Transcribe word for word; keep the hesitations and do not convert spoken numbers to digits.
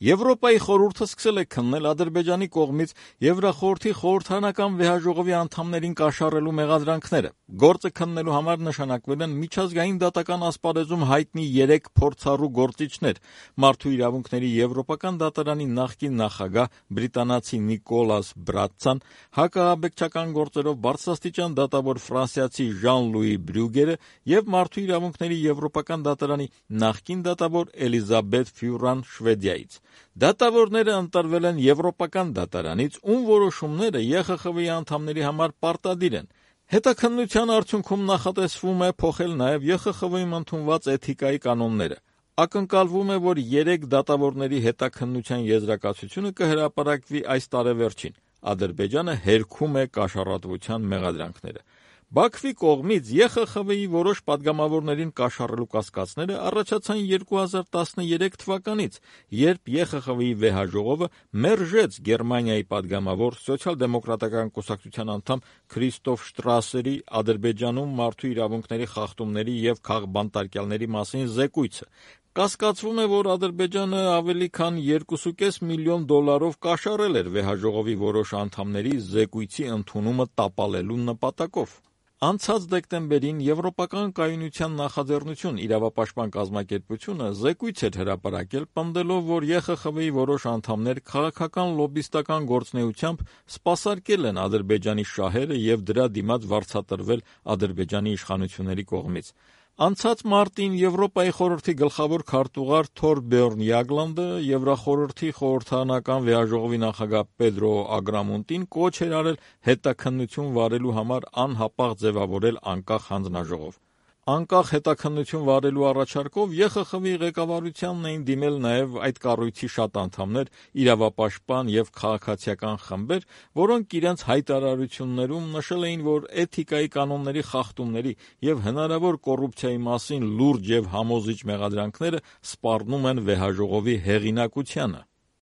Եվրոպայի խորհուրդը սկսել է քննել Ադրբեջանի կողմից Եվրախորհրդի խորհրդարանական վեհաժողովի անդամներին կաշառելու մեղադրանքները։ Գործը քննելու համար նշանակվել են միջազգային դատական ասպարեզում հայտնի երեք փորձառու գործիչներ՝ Մարդու իրավունքների եվրոպական դատարանի նախկին նախագահ բրիտանացի Նիկոլաս Բրատցան, հակաահաբեկչական գործերով բարձրաստիճան դատավոր ֆրանսիացի Ժան-Լուի Բրյուգերը և Մարդու իրավունքների եվրոպական դատարանի նախկին դատավոր Էլիզաբեթ Ֆյուրան Շվեդիայից։ Դատավորները ընտրվել են Եվրոպական դատարանից, ում որոշումները ԵԽԽՎ-ի անդամների համար պարտադիր են։ Հետաքննության արդյունքում նախատեսվում է փոխել նաև ԵԽԽՎ-ում ընդունված էթիկայի կանոնները։ Ակնկալվում է, որ երեք դատավորների հետաքննության եզրակացությունը կհրապարակվի այս տարեվերջին։ Ադրբեջանը հերքում է կաշառատվության մեղադրանքները։ Բաքվի կողմից ԵԽԽՎ-ի որոշ պատգամավորներին կաշառելու կասկածները առաջացան երկու հազար տասներեք թվականից, երբ ԵԽԽՎ-ի վեհաժողովը մերժեց Գերմանիայի պատգամավոր Սոցիալ-դեմոկրատական կուսակցության անդամ Քրիստոֆ Շտրասերի Ադրբեջանում մարդու իրավունքների խախտումների և քաղբանտարկյալների մասին զեկույցը։ Կասկածվում է, որ Ադրբեջանը ավելի քան երկու կես միլիոն դոլարով կաշառել էր վեհաժողովի որոշ անդամների զեկույցի ընդունումը տապալելու նպատակով։ Անցած դեկտեմբերին Եվրոպական կայունության նախաձեռնություն իրավապաշտպան կազմակերպությունը զեկույց էր հրապարակել, պնդելով, որ ԵԽԽՎ-ի որոշ անդամներ քաղաքական լոբբիստական գործունեությամբ սպասարկել են Ադրբեջանի շահերը և դրա դիմաց վարձատրվել Ադրբեջանի իշխանությունների կողմից։ Անցած մարտին Եվրոպայի խորհրդի գլխավոր քարտուղար Թորբերն Յագլանդը Եվրախորհրդի խորհրդարանական վեհաժողովի նախագահ Պեդրո Ագրամոնտին կոչ էր արել հետաքննություն վարելու համար անհապաղ ձևավորել անկախ հանձնաժողով։ Անկախ հետաքննություն վարելու առաջարկով ԵԽԽՎ-ի ղեկավարությանն էին դիմել նաև այդ կառույցի շատ անդամներ, իրավապաշտպան և քաղաքացիական խմբեր, որոնք իրենց հայտարարություններում նշել էին, որ էթիկայի կանոնների խախտումների և հնարավոր կոռուպցիայի մասին լուրջ և համոզիչ մեղադրանքները սպառնում են վեհաժողովի հեղինակությանը։